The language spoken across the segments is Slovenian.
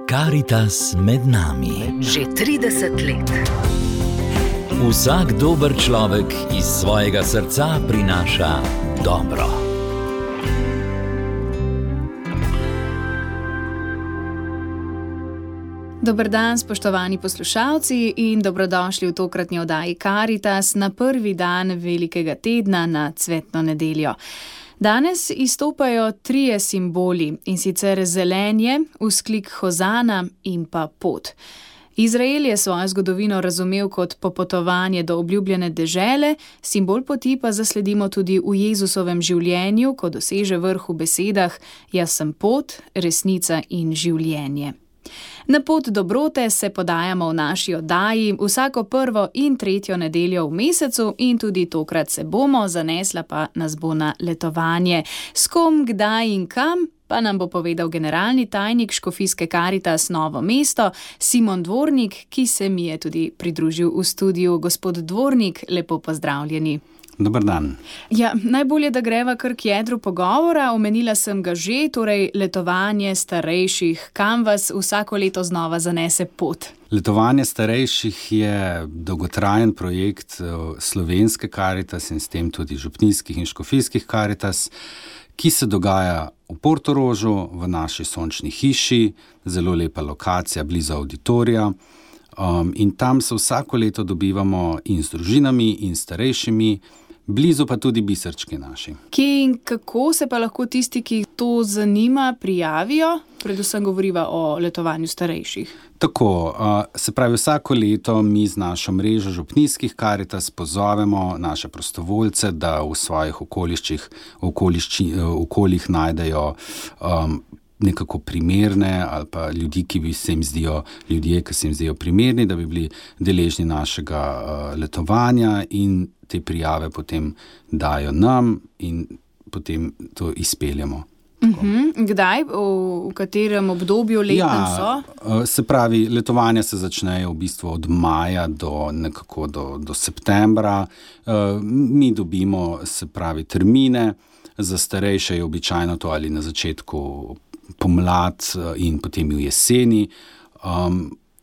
Karitas med nami. Že 30 let. Vsak dober človek iz svojega srca prinaša dobro. Dober dan, spoštovani poslušalci, in dobrodošli v tokratni oddaji Karitas na prvi dan velikega tedna na Cvetno nedeljo. Danes izstopajo trije simboli, in sicer zelenje, vzklik hozana in pa pot. Izrael je svojo zgodovino razumel kot popotovanje do obljubljene dežele, simbol poti pa zasledimo tudi v Jezusovem življenju, ko doseže vrh v besedah: jaz sem pot, resnica in življenje. Na pot dobrote se podajamo v naši oddaji vsako prvo in tretjo nedeljo v mesecu in tudi tokrat se bomo, zanesla pa nas bo na letovanje. S kom, kdaj in kam pa nam bo povedal generalni tajnik Škofijske Karitas Novo mesto, Simon Dvornik, ki se mi je tudi pridružil v studiu. Gospod Dvornik, lepo pozdravljeni. Dobar dan. Ja, najbolje, da greva kar k jedru pogovora. Omenila sem ga že, torej letovanje starejših. Kam vas vsako leto znova zanese pot? Letovanje starejših je dolgotrajen projekt Slovenske Karitas in s tem tudi župnijskih in škofijskih Karitas, ki se dogaja v Portorožu, v naši sončni hiši, zelo lepa lokacija blizu auditorija. In tam se vsako leto dobivamo in z družinami in starejšimi, blizu pa tudi biserčki naši. Kje in kako se pa lahko tisti, ki to zanima, prijavijo? Predvsem govoriva o letovanju starejših. Tako, se pravi, vsako leto mi z našo mrežo župnijskih Karitas pozovemo naše prostovoljce, da v svojih okoljih najdejo nekako primerne ali pa ljudje, ki se jim zdijo primerni, da bi bili deležni našega letovanja, in te prijave potem dajo nam in potem to izpeljemo. Kdaj, v katerem obdobju letnem so? Se pravi, letovanja se začnejo v bistvu od maja do septembra. Mi dobimo, se pravi, termine. Za starejše je običajno to ali na začetku pomlad in potem v jeseni.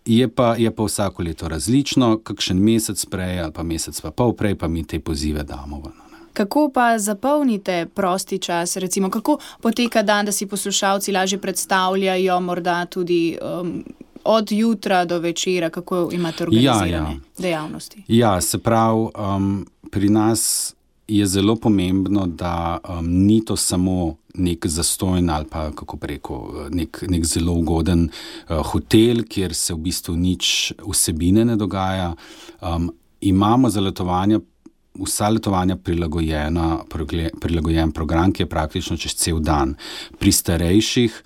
Je pa vsako leto različno, kakšen mesec prej ali pa mesec pa pol prej pa mi te pozive damo ven. Kako pa zapolnite prosti čas, recimo, kako poteka dan, da si poslušalci lažje predstavljajo, morda tudi od jutra do večera, kako imate organizirane dejavnosti? Ja, se pravi, pri nas je zelo pomembno, da ni to samo nek zastojn ali pa, kako preko, nek zelo ugoden hotel, kjer se v bistvu nič vsebine ne dogaja. Imamo za letovanja, vsa letovanja prilagojen program, ki je praktično čez cel dan. Pri starejših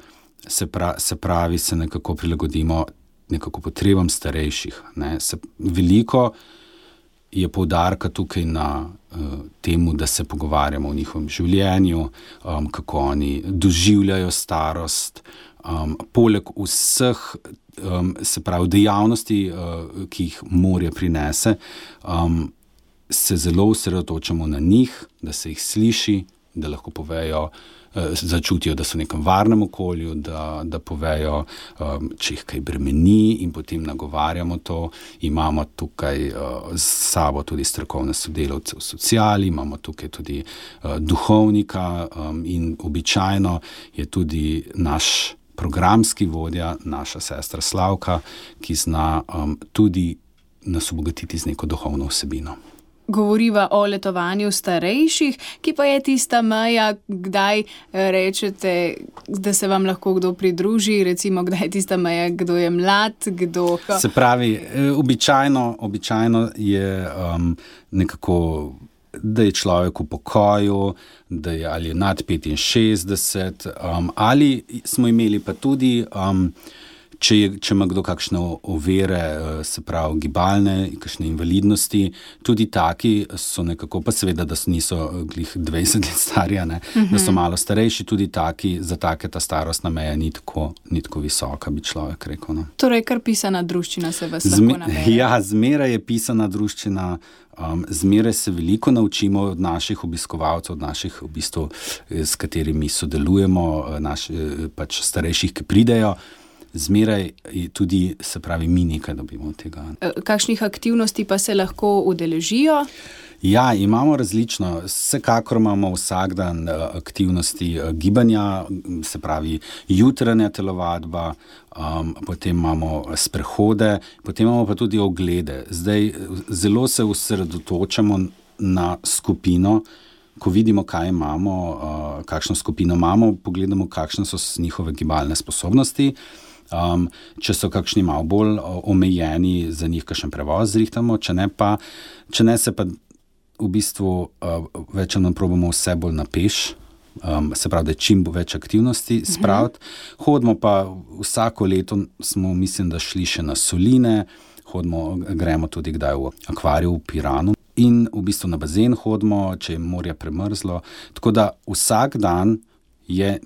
se pravi, se nekako prilagodimo nekako potrebam starejših. Veliko je poudarka tukaj na temu, da se pogovarjamo o njihovem življenju, kako oni doživljajo starost. Poleg vseh, se pravi, dejavnosti, ki jih morje prinese, se zelo osredotočamo na njih, da se jih sliši, da lahko povejo, začutijo, da so v nekem varnem okolju, da povejo, če jih kaj bremeni, in potem nagovarjamo to. Imamo tukaj s sabo tudi strokovne sodelavce v sociali, imamo tukaj tudi duhovnika in običajno je tudi naš programski vodja, naša sestra Slavka, ki zna tudi nas obogatiti z neko duhovno vsebino. Govoriva o letovanju starejših, ki pa je tista meja, kdaj rečete, da se vam lahko kdo pridruži, recimo kdaj je tista meja, kdo je mlad, kdo... Se pravi, običajno je nekako, da je človek v pokoju, da je ali nad 65, ali smo imeli pa tudi... Če ima kdo kakšne ovire, se pravi gibalne, kakšne invalidnosti, tudi taki so nekako, pa seveda, da niso glih 20 let starja, da so malo starejši, tudi taki, za take ta starostna meja ni tako visoka, bi človek rekel. Torej, kar pisana druščina se vas lahko nabere. Ja, zmeraj je pisana druščina, zmeraj se veliko naučimo od naših obiskovalcev, od naših, v bistvu, s katerimi sodelujemo, pač starejših, ki pridejo. zmeraj tudi, se pravi, mi nekaj dobimo od tega. Kakšnih aktivnosti pa se lahko udeležijo? Ja, imamo različno. Vsekakor imamo vsak dan aktivnosti gibanja, se pravi jutranja telovadba, potem imamo sprehode, potem imamo pa tudi oglede. Zdaj zelo se osredotočamo na skupino, ko vidimo, kaj imamo, kakšno skupino imamo, pogledamo, kakšne so njihove gibalne sposobnosti. Če so kakšni malo bolj omejeni, za njih kakšen prevoz zrihtamo, če ne se pa v bistvu več nam probamo vse bolj na peš, se pravi, da je čim več aktivnosti spraviti. Hodimo pa vsako leto, smo mislim, da šli še na soline, gremo tudi kdaj v akvarij v Piranu in v bistvu na bazen hodimo, če je morje premrzlo. Tako da vsak dan je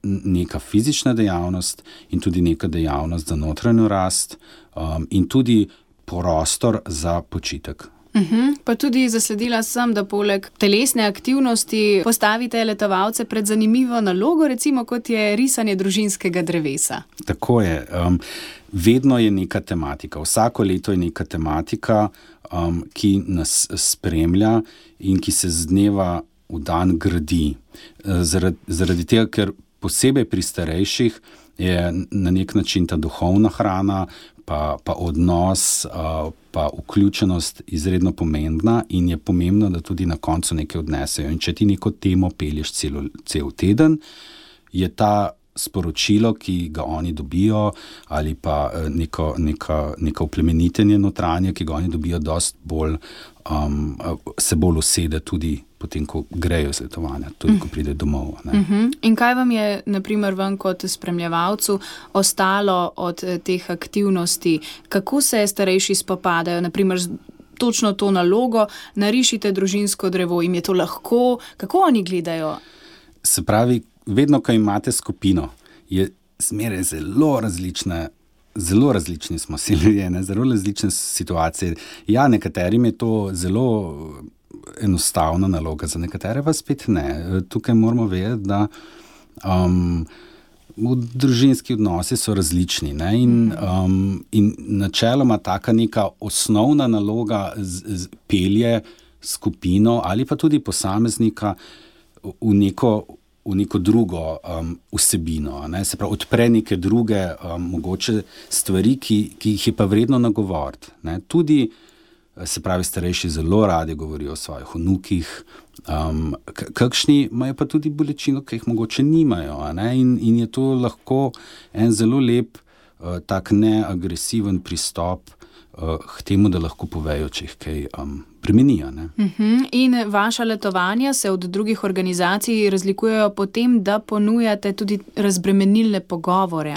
neka fizična dejavnost in tudi neka dejavnost za notranjo rast in tudi prostor za počitek. Pa tudi zasledila sem, da poleg telesne aktivnosti postavite letovalce pred zanimivo nalogo, recimo kot je risanje družinskega drevesa. Tako je. Vedno je neka tematika. Vsako leto je neka tematika, ki nas spremlja in ki se z dneva v dan gradi. Zaradi tega, ker posebej pri starejših je na nek način ta duhovna hrana, pa odnos, pa vključenost izredno pomembna in je pomembno, da tudi na koncu nekaj odnesejo. In če ti neko temo pelješ cel teden, je ta sporočilo, ki ga oni dobijo, ali pa neko oplemenitenje notranje, ki ga oni dobijo, dosti bolj, se bolj usede tudi potem, ko grejo z letovanja, tudi ko pride domov. In kaj vam je, na primer, vam kot spremljevalcu ostalo od teh aktivnosti? Kako se starejši spopadajo, na primer, točno to nalogo, narišite družinsko drevo, jim je to lahko? Kako oni gledajo? Se pravi, vedno, ko imate skupino, je zmeraj zelo različni smo si ljudje, zelo različne situacije. Ja, nekaterim je to zelo enostavna naloga, za nekatere pa spet ne. Tukaj moramo vedeti, da družinski odnosi so različni, ne? In načeloma taka neka osnovna naloga pelje skupino ali pa tudi posameznika v neko drugo vsebino, ne? Se pravi, odpre neke druge mogoče stvari, ki jih je pa vredno nagovoriti, ne? Tudi, se pravi, starejši zelo radi govorijo o svojih vnukih, kakšni imajo pa tudi bolečino, ki jih mogoče nimajo, ne? In je to lahko en zelo lep, tak neagresiven pristop k temu, da lahko povejo, če jih kaj bremenijo. In vaša letovanja se od drugih organizacij razlikujejo po tem, da ponujate tudi razbremenilne pogovore.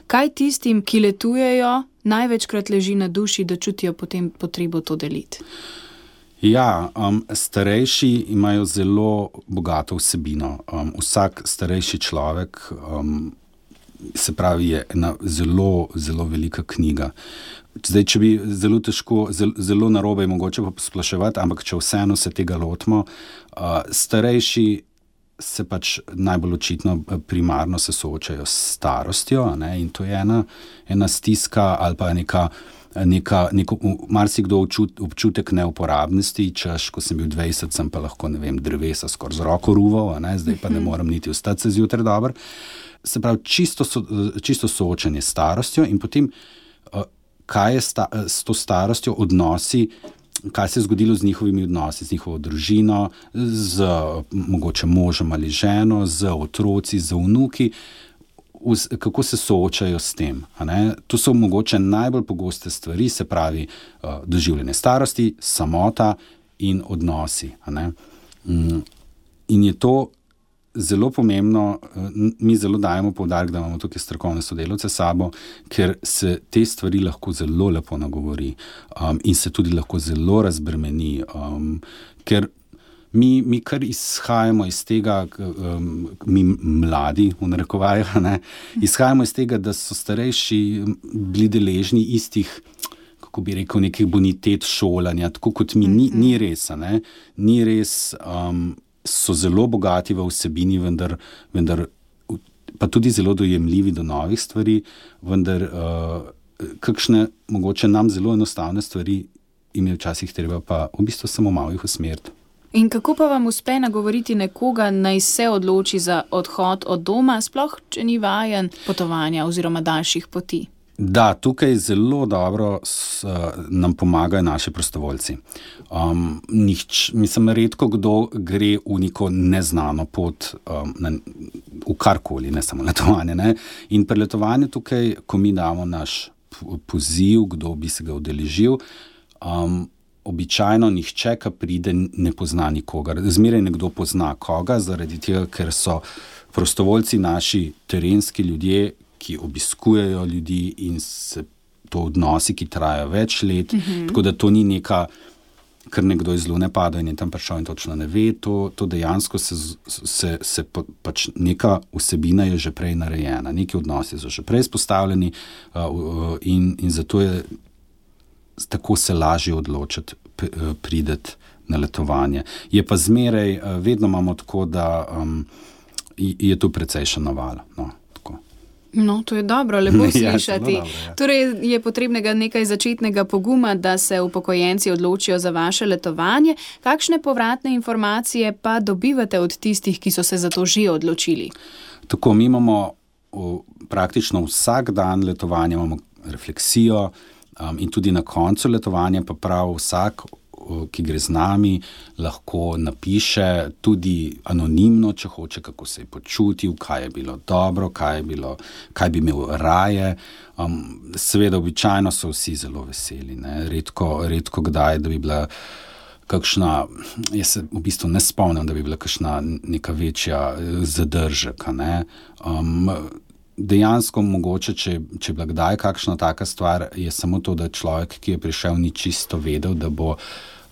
Kaj tistim, ki letujejo, največkrat leži na duši, da čutijo potem potrebo to deliti? Ja, starejši imajo zelo bogato vsebino. Vsak starejši človek, se pravi, je ena zelo, zelo velika knjiga. Zdaj, če bi zelo težko, zelo narobe je mogoče pa posploševati, ampak če vseeno se tega lotimo, starejši se pač najbolj očitno primarno se soočajo s starostjo, ne? In to je ena stiska ali pa neko marsikdo občutek neuporabnosti, češ, ko sem bil 20, sem pa lahko, ne vem, drevesa skoraj z roko ruval, ne? Zdaj pa ne morem niti vstati se zjutraj dobro. Se pravi, čisto soočanje s starostjo in potem kaj je s to starostjo odnosi, kaj se je zgodilo z njihovimi odnosi, z njihovo družino, z mogoče možem ali ženo, z otroci, z vnuki, kako se soočajo s tem. To so mogoče najbolj pogoste stvari, se pravi doživljanje starosti, samota in odnosi. In je to zelo pomembno, mi zelo dajemo poudarek, da imamo tukaj strokovne sodelavce s sabo, ker se te stvari lahko zelo lepo nagovori in se tudi lahko zelo razbremeni, ker mi kar izhajamo iz tega, mi mladi, v narekovajih, izhajamo iz tega, da so starejši bili deležni istih, kako bi rekel, nekih bonitet šolanja, tako kot mi, ni res, so zelo bogati v vsebini, vendar pa tudi zelo dojemljivi do novih stvari, vendar kakšne mogoče nam zelo enostavne stvari jim je včasih treba pa v bistvu samo malo jih usmeriti. In kako pa vam uspe nagovoriti nekoga, naj se odloči za odhod od doma, sploh če ni vajen potovanja oziroma daljših poti? Da, tukaj zelo dobro nam pomagajo naši prostovoljci. Mislim, redko kdo gre v neko neznano pot, v karkoli, ne samo letovanje. Ne? In pri letovanju tukaj, ko mi damo naš poziv, kdo bi se ga udeležil, običajno nihče, ki pride, ne pozna nikogar. Zmeraj nekdo pozna koga, zaradi tega, ker so prostovoljci naši terenski ljudje, ki obiskujejo ljudi in se to odnosi, ki trajajo več let. Tako da to ni neka, ker nekdo iz lune pada in je tam prišel in točno ne ve, to dejansko pač neka vsebina je že prej narejena, neki odnosi so že prej spostavljeni in zato je tako se lažje odločiti prideti na letovanje. Je pa zmeraj, vedno imamo tako, da je tu precejšen naval. No, to je dobro, lepo slišati. Ja, dobro, ja. Torej je potrebnega nekaj začetnega poguma, da se upokojenci odločijo za vaše letovanje. Kakšne povratne informacije pa dobivate od tistih, ki so se za to že odločili? Tako, mi imamo praktično vsak dan letovanja, imamo refleksijo in tudi na koncu letovanja pa prav vsak, ki gre z nami, lahko napiše tudi anonimno, če hoče, kako se je počutil, kaj je bilo dobro, kaj bi imel raje. Seveda, običajno so vsi zelo veseli. Ne? Redko kdaj, da bi bila kakšna, jaz se v bistvu ne spomnim, da bi bila kakšna neka večja zadržek. Ne? Dejansko mogoče, če je bila kdaj kakšna taka stvar, je samo to, da človek, ki je prišel, ni čisto vedel,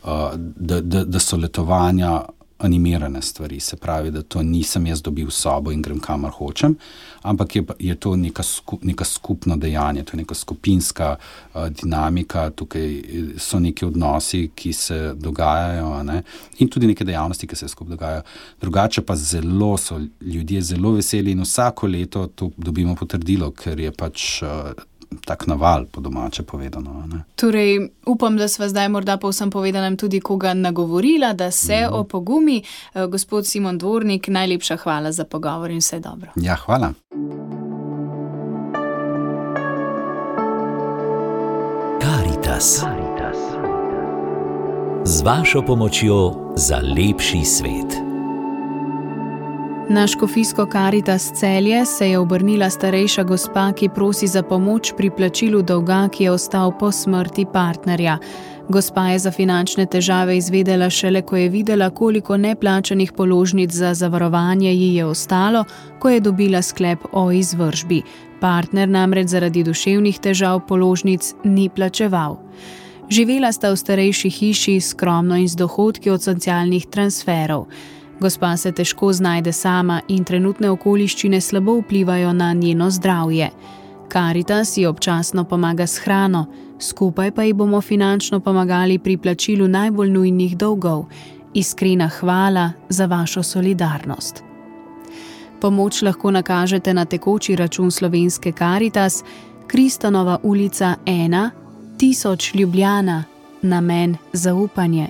da so letovanja animirane stvari. Se pravi, da to nisem jaz dobil sobo in grem kamor hočem, ampak je to neka skupno dejanje, to je neka skupinska dinamika, tukaj so neki odnosi, ki se dogajajo, ne? In tudi neke dejavnosti, ki se skupaj dogajajo. Drugače pa so ljudje zelo veseli in vsako leto to dobimo potrdilo, ker je pač tak naval, po domače povedano. Ne? Torej, upam, da sva zdaj morda povsem povedanem tudi koga nagovorila, da se opogumi. Gospod Simon Dvornik, najlepša hvala za pogovor in vse dobro. Ja, hvala. Karitas. Z vašo pomočjo za lepši svet. Na škofijsko Karitas Celje se je obrnila starejša gospa, ki prosi za pomoč pri plačilu dolga, ki je ostal po smrti partnerja. Gospa je za finančne težave izvedela šele, ko je videla, koliko neplačanih položnic za zavarovanje ji je ostalo, ko je dobila sklep o izvršbi. Partner namreč zaradi duševnih težav položnic ni plačeval. Živela sta v starejši hiši, skromno in z dohodki od socialnih transferov. Gospa se težko znajde sama in trenutne okoliščine slabo vplivajo na njeno zdravje. Karitas ji občasno pomaga s hrano, skupaj pa ji bomo finančno pomagali pri plačilu najbolj nujnih dolgov. Iskrena hvala za vašo solidarnost. Pomoč lahko nakažete na tekoči račun slovenske Karitas, Kristanova ulica 1, 1000 Ljubljana, namen zaupanje.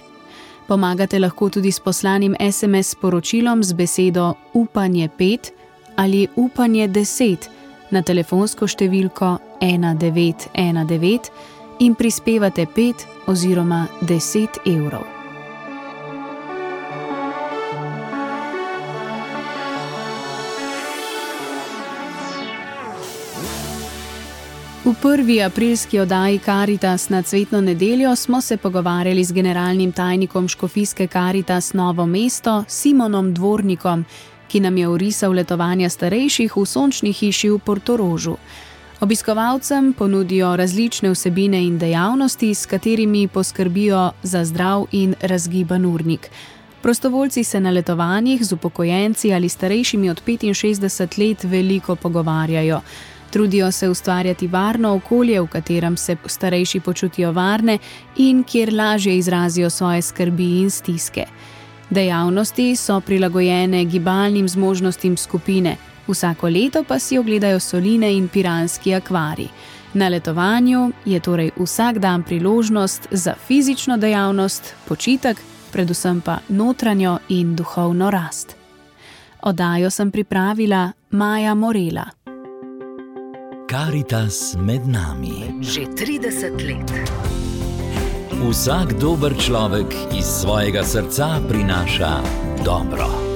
Pomagate lahko tudi s poslanim SMS sporočilom z besedo upanje 5 ali upanje 10 na telefonsko številko 1919 in prispevate 5 oziroma 10 evrov. V prvi aprilski oddaji Karitas na Cvetno nedeljo smo se pogovarjali z generalnim tajnikom škofijske Karitas Novo mesto Simonom Dvornikom, ki nam je orisal letovanja starejših v sončni hiši v Portorožu. Obiskovalcem ponudijo različne vsebine in dejavnosti, s katerimi poskrbijo za zdrav in razgiban urnik. Prostovoljci se na letovanjih z upokojenci ali starejšimi od 65 let veliko pogovarjajo. Trudijo se ustvarjati varno okolje, v katerem se starejši počutijo varne in kjer lažje izrazijo svoje skrbi in stiske. Dejavnosti so prilagojene gibalnim zmožnostim skupine, Vsako leto pa si ogledajo soline in piranski akvarij. Na letovanju je torej vsak dan priložnost za fizično dejavnost, počitek, predvsem pa notranjo in duhovno rast. Oddajo sem pripravila Maja Morela. Karitas med nami. Že 30 let. Vsak dober človek iz svojega srca prinaša dobro.